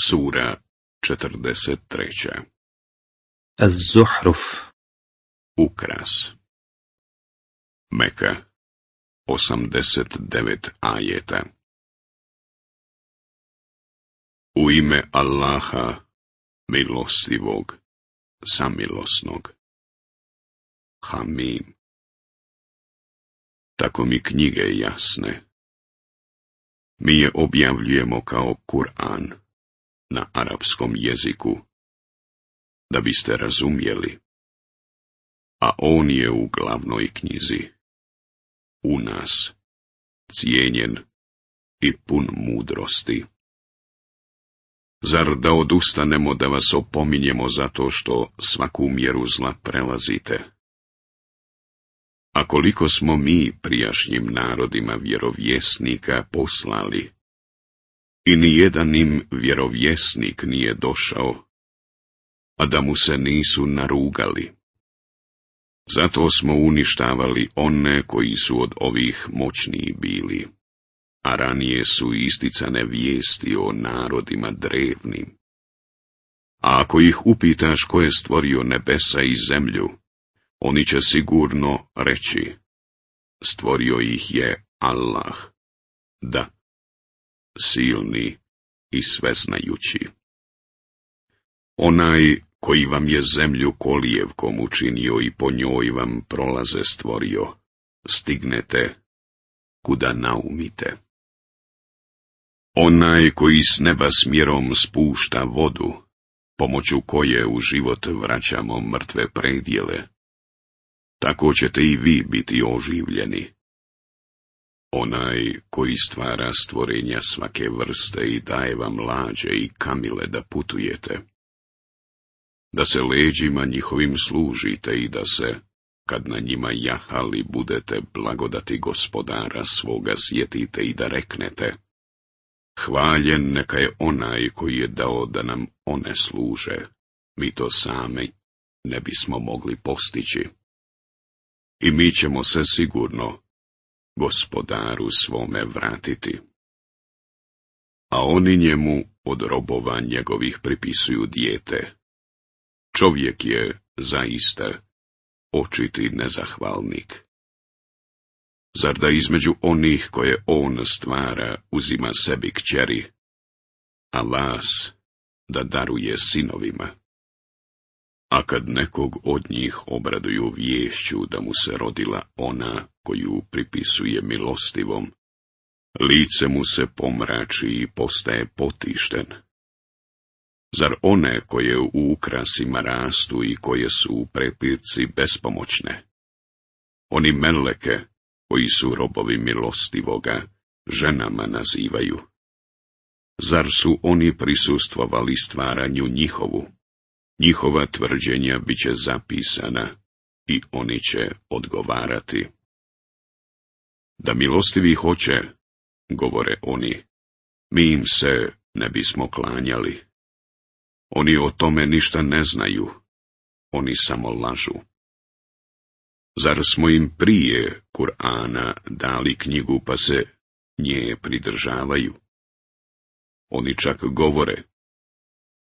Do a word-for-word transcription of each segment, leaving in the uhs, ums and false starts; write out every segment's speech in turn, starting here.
Sura četrdeset treća. Az-Zuhruf. Ukras. Meka, osamdeset devet ajeta. U ime Allaha, milostivog, samilosnog. Hamim. Tako mi knjige jasne. Mi je objavljujemo kao Kur'an na arapskom jeziku, da biste razumjeli, a on je u glavnoj knjizi, u nas, cijenjen i pun mudrosti. Zar da odustanemo da vas opominjemo zato što svaku mjeru zla prelazite? A koliko smo mi prijašnjim narodima vjerovjesnika poslali, i nijedan im vjerovjesnik nije došao, a da mu se nisu narugali. Zato smo uništavali one koji su od ovih moćniji bili, a ranije su isticane vijesti o narodima drevnim. A ako ih upitaš ko je stvorio nebesa i zemlju, oni će sigurno reći, stvorio ih je Allah, da, silni i sveznajući. Onaj koji vam je zemlju kolijevkom učinio i po njoj vam prolaze stvorio, stignete kuda naumite. Onaj koji s neba smjerom spušta vodu, pomoću koje u život vraćamo mrtve predjele, tako ćete i vi biti oživljeni. Onaj koji stvara stvorenja svake vrste i daje vam lađe i kamile da putujete, da se leđima njihovim služite i da se, kad na njima jahali, budete blagodati Gospodara svoga sjetite i da reknete, hvaljen neka je onaj koji je dao da nam one služe, mi to sami ne bismo mogli postići. I mi ćemo se sigurno Gospodaru svome vratiti. A oni njemu od robova njegovih pripisuju dijete. Čovjek je zaista očiti nezahvalnik. Zar da između onih koje on stvara uzima sebi kćeri, a vas da daruje sinovima? A kad nekog od njih obraduju viješću da mu se rodila ona koju pripisuje milostivom, lice mu se pomrači i postaje potišten. Zar one koje u ukrasima rastu i koje su u prepirci bespomoćne? Oni meleke, koji su robovi milostivoga, ženama nazivaju. Zar su oni prisustvovali stvaranju njihovu? Njihova tvrđenja bit će zapisana i oni će odgovarati. Da milostivi hoće, govore oni, mi im se ne bismo klanjali. Oni o tome ništa ne znaju, oni samo lažu. Zar smo im prije Kur'ana dali knjigu pa se nje pridržavaju? Oni čak govore,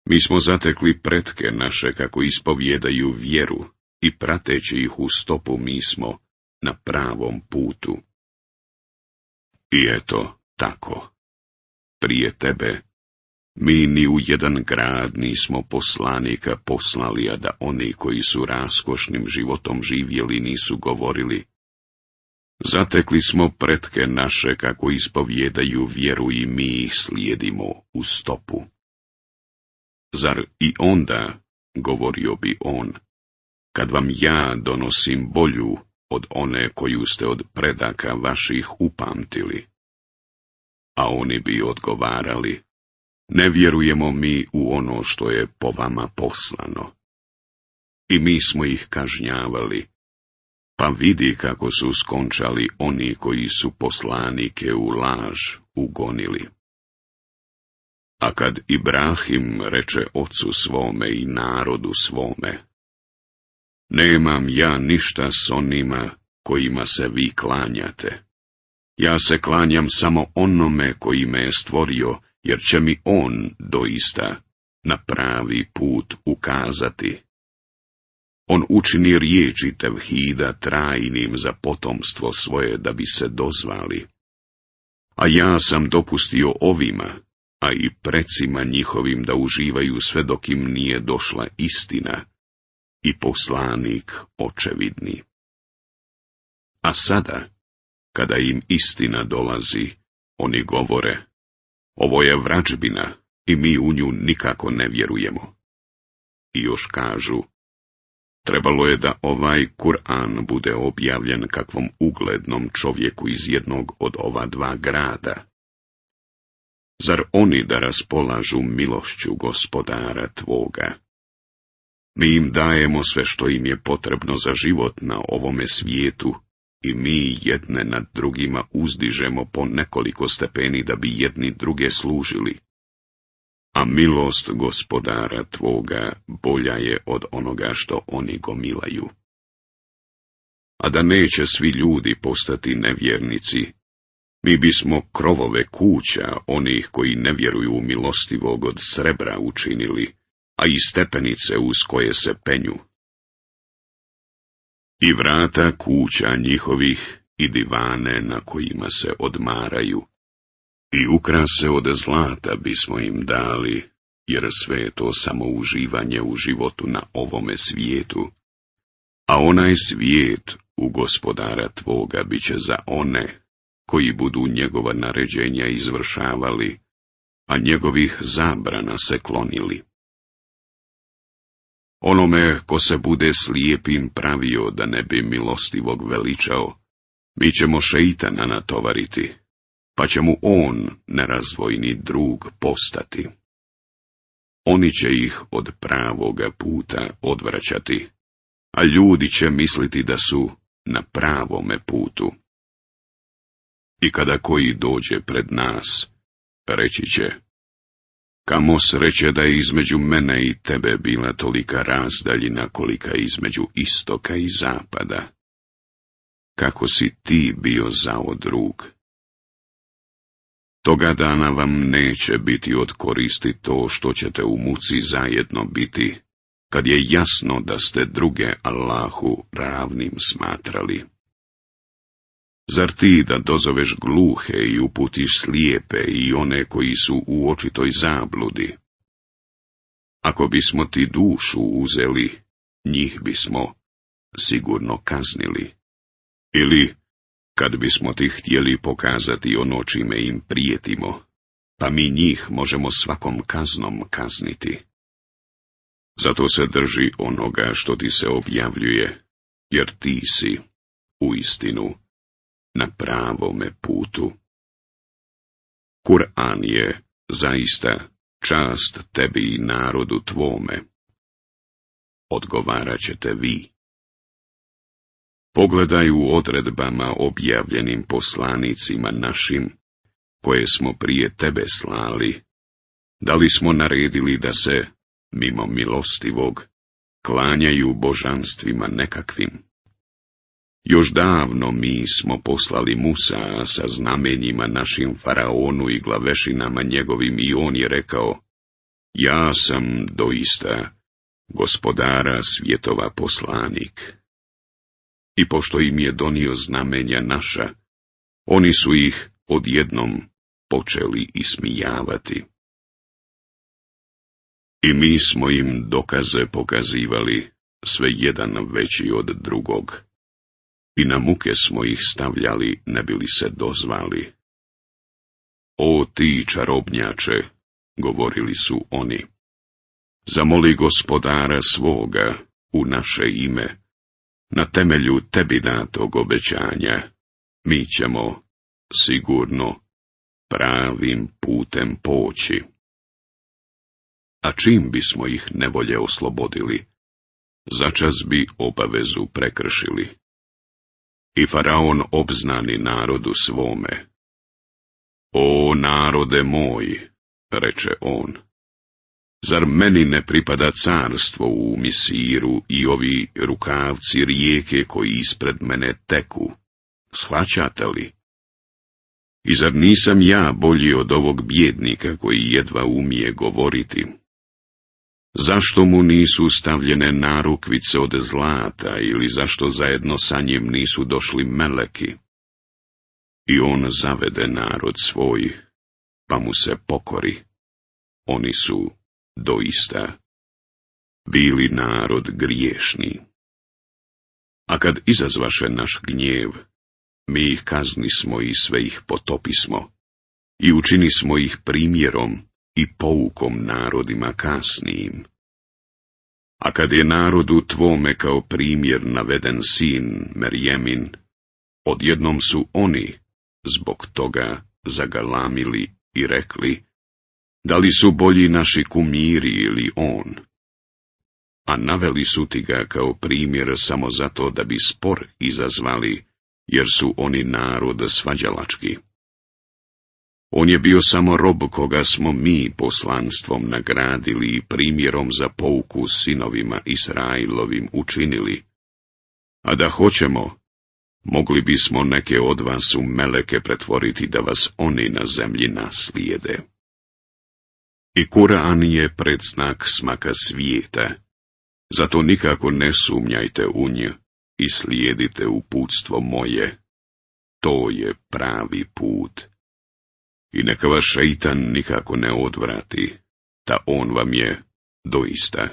mi smo zatekli pretke naše kako ispovjedaju vjeru i prateći ih u stopu mi smo na pravom putu. I eto tako, prije tebe, mi ni u jedan grad nismo poslanika poslali, a da oni koji su raskošnim životom živjeli nisu govorili, zatekli smo pretke naše kako ispovjedaju vjeru i mi ih slijedimo u stopu. Zar i onda, govorio bi on, kad vam ja donosim bolju od one koju ste od predaka vaših upamtili? A oni bi odgovarali, ne vjerujemo mi u ono što je po vama poslano. I mi smo ih kažnjavali, pa vidi kako su skončali oni koji su poslanike u laž ugonili. A kad Ibrahim reče ocu svome i narodu svome, nemam ja ništa s onima kojima se vi klanjate. Ja se klanjam samo onome koji me je stvorio jer će mi on doista na pravi put ukazati. On učini riječi tevhida trajnim za potomstvo svoje da bi se dozvali. A ja sam dopustio ovima, a i precima njihovim da uživaju sve dok im nije došla istina i poslanik očevidni. A sada, kada im istina dolazi, oni govore, ovo je vrađbina i mi u nju nikako ne vjerujemo. I još kažu, trebalo je da ovaj Kur'an bude objavljen kakvom uglednom čovjeku iz jednog od ova dva grada. Zar oni da raspolažu milošću Gospodara tvoga? Mi im dajemo sve što im je potrebno za život na ovome svijetu i mi jedne nad drugima uzdižemo po nekoliko stepeni da bi jedni druge služili. A milost Gospodara tvoga bolja je od onoga što oni gomilaju. A da neće svi ljudi postati nevjernici, mi bismo krovove kuća onih koji ne vjeruju u milostivog od srebra učinili, a i stepenice uz koje se penju. I vrata kuća njihovih i divane na kojima se odmaraju. I ukrase od zlata bismo im dali, jer sve je to samo uživanje u životu na ovome svijetu. A onaj svijet u Gospodara tvoga bit će za one koji budu njegova naređenja izvršavali, a njegovih zabrana se klonili. Onome ko se bude slijepim pravio da ne bi milostivog veličao, mi ćemo šeitana natovariti, pa će mu on, nerazvojni drug, postati. Oni će ih od pravoga puta odvraćati, a ljudi će misliti da su na pravome putu. I kada koji dođe pred nas, reći će, kamo sreće da je između mene i tebe bila tolika razdaljina kolika između istoka i zapada. Kako si ti bio zao drug? Toga dana vam neće biti od koristi to što ćete u muci zajedno biti, kad je jasno da ste druge Allahu ravnim smatrali. Zar ti da dozoveš gluhe i uputiš slijepe i one koji su u očitoj zabludi? Ako bismo ti dušu uzeli, njih bismo sigurno kaznili. Ili, kad bismo ti htjeli pokazati ono čime im prijetimo, pa mi njih možemo svakom kaznom kazniti. Zato se drži onoga što ti se objavljuje, jer ti si, uistinu, na pravome putu. Kur'an je, zaista, čast tebi i narodu tvome. Odgovarat ćete vi. Pogledaj u odredbama objavljenim poslanicima našim, koje smo prije tebe slali, da li smo naredili da se, mimo milostivog, klanjaju božanstvima nekakvim. Još davno mi smo poslali Musa sa znamenjima našim faraonu i glavešinama njegovim i on je rekao, ja sam doista Gospodara svjetova poslanik. I pošto im je donio znamenja naša, oni su ih odjednom počeli ismijavati. I mi smo im dokaze pokazivali, sve jedan veći od drugog. I na muke smo ih stavljali, ne bili se dozvali. O ti čarobnjače, govorili su oni, zamoli Gospodara svoga u naše ime, na temelju tebi datog obećanja, mi ćemo, sigurno, pravim putem poći. A čim bismo ih nevolje oslobodili, začas bi obavezu prekršili. I faraon obznani narodu svome. O narode moj, reče on, zar meni ne pripada carstvo u Misiru i ovi rukavci rijeke koji ispred mene teku? Shvaćate li? I zar nisam ja bolji od ovog bijednika koji jedva umije govoriti? Zašto mu nisu stavljene narukvice od zlata ili zašto zajedno sa njim nisu došli meleki? I on zavede narod svoj, pa mu se pokori. Oni su doista bili narod griješni. A kad izazvaše naš gnjev, mi ih kaznismo i sve ih potopismo, i učinismo ih primjerom i poukom narodima kasnijim. A kad je narodu tvome kao primjer naveden sin Merjemin, odjednom su oni zbog toga zagalamili i rekli, da li su bolji naši kumiri ili on? A naveli su ti ga kao primjer samo zato da bi spor izazvali, jer su oni narod svađalački. On je bio samo rob koga smo mi poslanstvom nagradili i primjerom za pouku sinovima Israilovim učinili. A da hoćemo, mogli bismo neke od vas u meleke pretvoriti da vas oni na zemlji naslijede. I Kur'an je predznak smaka svijeta, zato nikako ne sumnjajte u nj i slijedite uputstvo moje. To je pravi put. I neka vas šeitan nikako ne odvrati, ta on vam je doista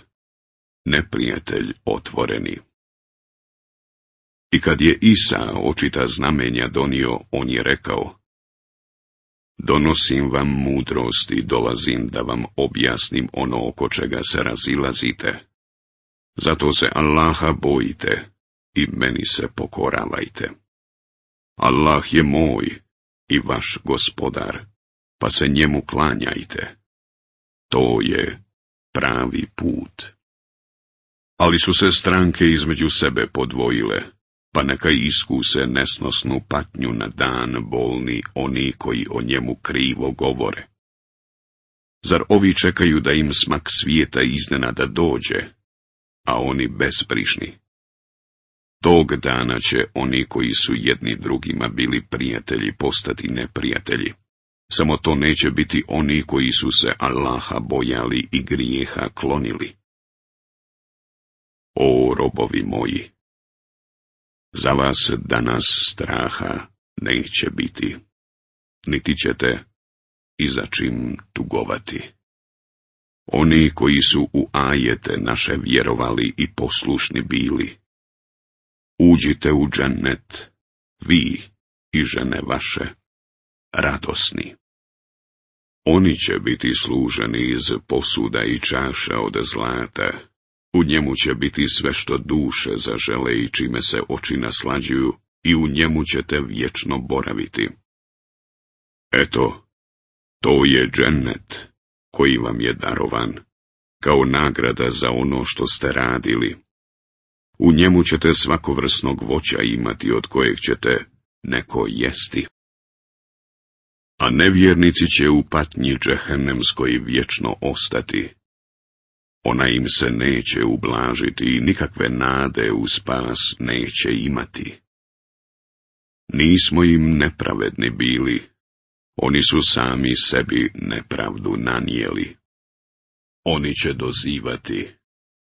neprijatelj otvoreni. I kad je Isa očita znamenja donio, on je rekao, donosim vam mudrost i dolazim da vam objasnim ono oko čega se razilazite. Zato se Allaha bojite i meni se pokoravajte. Allah je moj i vaš gospodar, pa se njemu klanjajte. To je pravi put. Ali su se stranke između sebe podvojile, pa neka iskuse nesnosnu patnju na dan bolni oni koji o njemu krivo govore. Zar ovi čekaju da im smak svijeta iznenada dođe, a oni bezbrižni? Tog dana će oni koji su jedni drugima bili prijatelji postati neprijatelji. Samo to neće biti oni koji su se Allaha bojali i grijeha klonili. O robovi moji, za vas danas straha neće biti, niti ćete i za čim tugovati. Oni koji su u ajete naše vjerovali i poslušni bili, uđite u džennet, vi i žene vaše, radosni. Oni će biti služeni iz posuda i čaša od zlata, u njemu će biti sve što duše zažele i čime se oči naslađuju, i u njemu ćete vječno boraviti. Eto, to je džennet koji vam je darovan, kao nagrada za ono što ste radili. U njemu ćete svakovrsnog voća imati od kojeg ćete neko jesti. A nevjernici će u patnji džehennemskoj vječno ostati. Ona im se neće ublažiti i nikakve nade u spas neće imati. Nismo im nepravedni bili, oni su sami sebi nepravdu nanijeli. Oni će dozivati,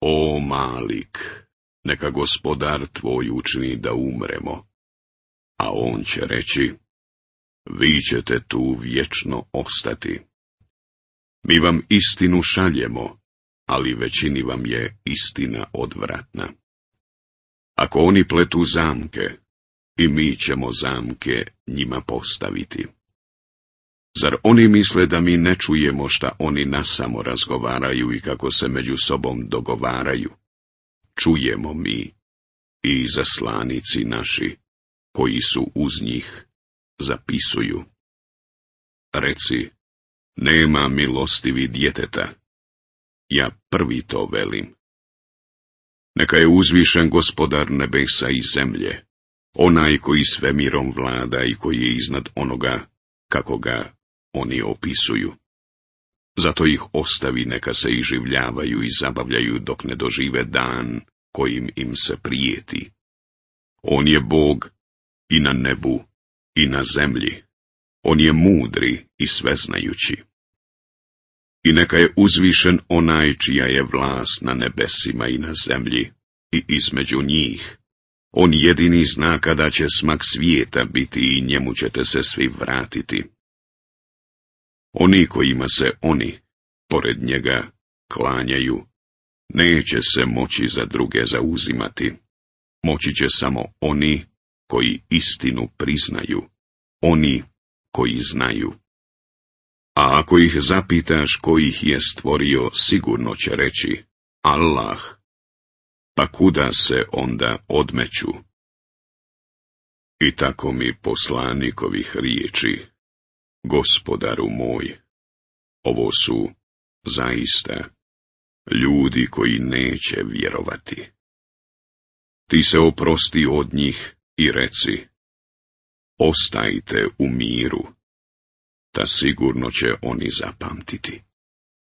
o Malik, neka gospodar tvoj učini da umremo. A on će reći, vi ćete tu vječno ostati. Mi vam istinu šaljemo, ali većini vam je istina odvratna. Ako oni pletu zamke, i mi ćemo zamke njima postaviti. Zar oni misle da mi ne čujemo šta oni nasamo razgovaraju i kako se među sobom dogovaraju? Čujemo mi i zaslanici naši, koji su uz njih, zapisuju. Reci, nema milostivi djeteta, ja prvi to velim. Neka je uzvišen gospodar nebesa i zemlje, onaj koji svemirom vlada i koji je iznad onoga kako ga oni opisuju. Zato ih ostavi neka se iživljavaju i zabavljaju dok ne dožive dan kojim im se prijeti. On je Bog i na nebu i na zemlji. On je mudri i sveznajući. I neka je uzvišen onaj čija je vlast na nebesima i na zemlji i između njih. On jedini zna kada će smak svijeta biti i njemu ćete se svi vratiti. Oni kojima se oni, pored njega, klanjaju, neće se moći za druge zauzimati. Moći će samo oni koji istinu priznaju, oni koji znaju. A ako ih zapitaš ko ih je stvorio, sigurno će reći, Allah. Pa kuda se onda odmeću? I tako mi poslanikovih riječi, Gospodaru moj, ovo su zaista ljudi koji neće vjerovati. Ti se oprosti od njih i reci, ostajte u miru, ta sigurno će oni zapamtiti.